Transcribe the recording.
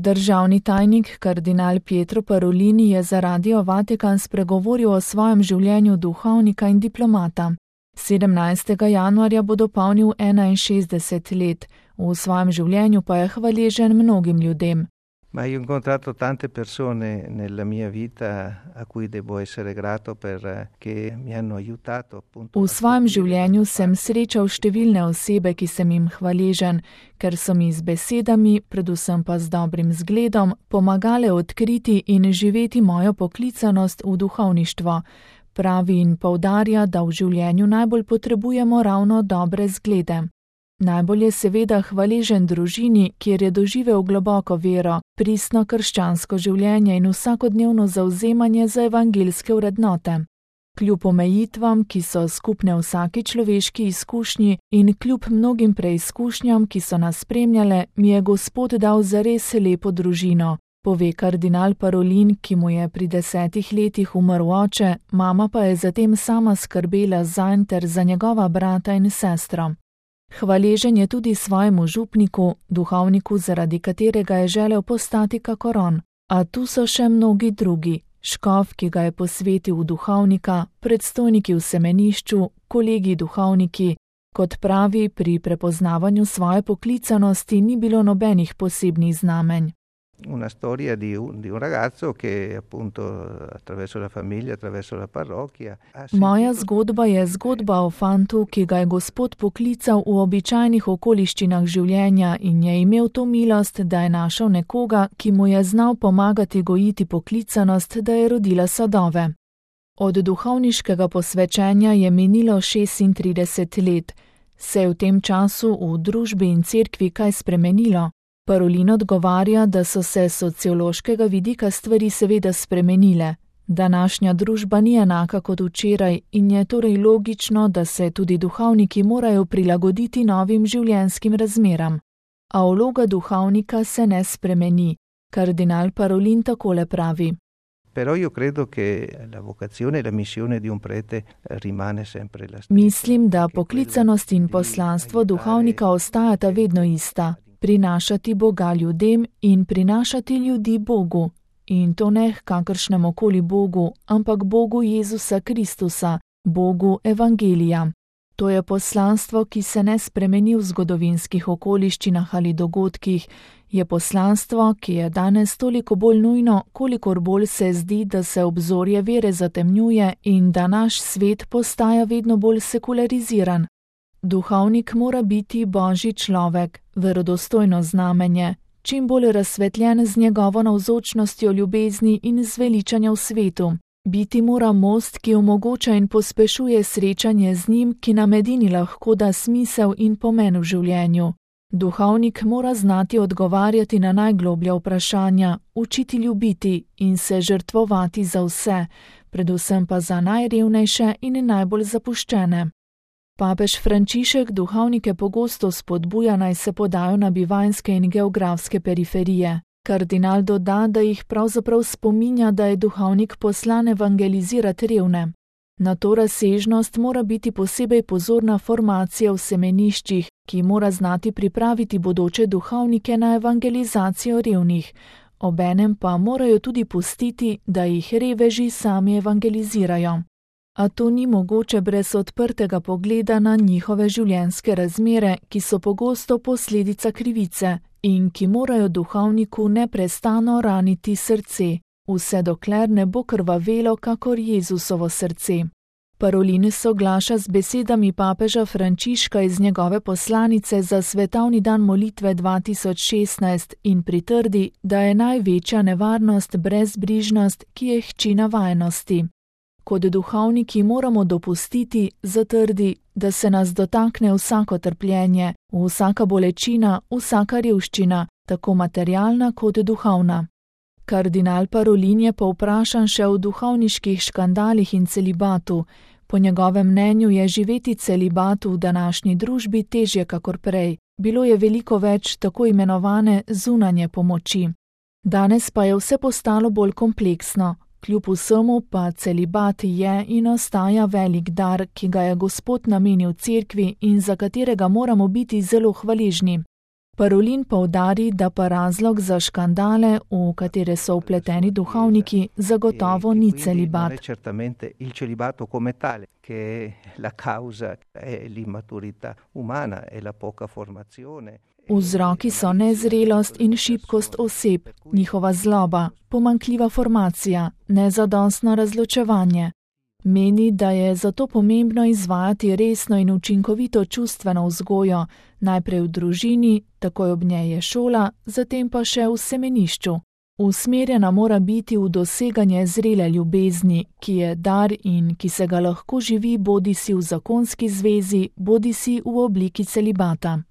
Državni tajnik kardinal Pietro Parolin je za Radio Vatikan spregovoril o svojem življenju duhovnika in diplomata. 17. januarja bo dopolnil 61 let, v svojem življenju pa je hvaležen mnogim ljudem. Ma io ho incontrato tante persone nella mia vita a cui devo essere grato perché mi hanno aiutato appunto. V svojem življenju sem srečal številne osebe, ki sem jim hvaležen, ker so mi z besedami, predvsem pa z dobrim zgledom, pomagale odkriti in živeti mojo poklicanost v duhovništvo. Pravi in poudarja, da v življenju najbolj potrebujemo ravno dobre zglede. Najbolj je seveda hvaležen družini, kjer je doživel globoko vero, pristno krščansko življenje in vsakodnevno zavzemanje za evangeljske vrednote. Kljub omejitvam, ki so skupne vsaki človeški izkušnji in kljub mnogim preizkušnjam, ki so nas spremljale, mi je Gospod dal zares lepo družino, pove kardinal Parolin, ki mu je pri 10 letih umrl oče, mama pa je zatem sama skrbela zanj ter za njegova brata in sestro. Hvaležen je tudi svojemu župniku, duhovniku, zaradi katerega je želel postati kakor on. A tu so še mnogi drugi, škof, ki ga je posvetil v duhovnika, predstojniki v semenišču, kolegi duhovniki. Kot pravi, pri prepoznavanju svoje poklicanosti ni bilo nobenih posebnih znamenj. Una storia di un ragazzo che appunto attraverso la famiglia, attraverso la parrocchia. Moja zgodba je zgodba o fantu, ki ga je Gospod poklical v običajnih okoliščinah življenja in je imel to milost, da je našel nekoga, ki mu je znal pomagati gojiti poklicanost, da je rodila sadove. Od duhovniškega posvečenja je minilo 36 let. Se je v tem času v družbi in cerkvi kaj spremenilo? Parolin odgovarja, da so se sociološkega vidika stvari seveda spremenile. Današnja družba ni enaka kot včeraj in je torej logično, da se tudi duhovniki morajo prilagoditi novim življenjskim razmeram. A vloga duhovnika se ne spremeni. Kardinal Parolin takole pravi. Però io credo che la vocazione e la missione di un prete rimane sempre la stessa. Mislim, da poklicanost in poslanstvo duhovnika ostajata vedno ista. Prinašati Boga ljudem in prinašati ljudi Bogu. In to ne kakršnemu koli Bogu, ampak Bogu Jezusa Kristusa, Bogu Evangelija. To je poslanstvo, ki se ne spremeni v zgodovinskih okoliščinah ali dogodkih, je poslanstvo, ki je danes toliko bolj nujno, kolikor bolj se zdi, da se obzorje vere zatemnjuje in da naš svet postaja vedno bolj sekulariziran. Duhovnik mora biti Božji človek, verodostojno znamenje, čim bolj razsvetljen z njegovo navzočnostjo ljubezni in zveličanja v svetu. Biti mora most, ki omogoča in pospešuje srečanje z njim, ki nam edini lahko da smisel in pomen v življenju. Duhovnik mora znati odgovarjati na najgloblja vprašanja, učiti ljubiti in se žrtvovati za vse, predvsem pa za najrevnejše in najbolj zapuščene. Papež Frančišek duhovnike pogosto spodbuja, naj se podajo na bivanjske in geografske periferije. Kardinal doda, da jih pravzaprav spominja, da je duhovnik poslan evangelizirati revne. Na to razsežnost mora biti posebej pozorna formacija v semeniščih, ki mora znati pripraviti bodoče duhovnike na evangelizacijo revnih. Obenem pa morajo tudi pustiti, da jih reveži sami evangelizirajo. A to ni mogoče brez odprtega pogleda na njihove življenjske razmere, ki so pogosto posledica krivice in ki morajo duhovniku neprestano raniti srce, vse dokler ne bo krvavelo kakor Jezusovo srce. Parolin soglaša z besedami papeža Frančiška iz njegove poslanice za svetovni dan molitve 2016 in pritrdi, da je največja nevarnost brezbrižnost, ki je hči navajenosti. Kot duhovniki moramo dopustiti, zatrdi, da se nas dotakne vsako trpljenje, vsaka bolečina, vsaka revščina, tako materialna kot duhovna. Kardinal Parolin je povprašan še o duhovniških škandalih in celibatu. Po njegovem mnenju je živeti celibatu v današnji družbi težje kakor prej. Bilo je veliko več tako imenovane zunanje pomoči. Danes pa je vse postalo bolj kompleksno. Kljub vsemu pa celibat je in ostaja velik dar, ki ga je Gospod namenil cerkvi in za katerega moramo biti zelo hvaležni. Parolin poudari, da pa razlog za škandale, v katere so vpleteni duhovniki, zagotovo ni celibat. Vzroki so nezrelost in šibkost oseb, njihova zloba, pomanjkljiva formacija, nezadostno razločevanje. Meni, da je zato pomembno izvajati resno in učinkovito čustveno vzgojo, najprej v družini, takoj ob njej je šola, zatem pa še v semenišču. Usmerjena mora biti v doseganje zrele ljubezni, ki je dar in ki se ga lahko živi bodisi v zakonski zvezi, bodisi v obliki celibata.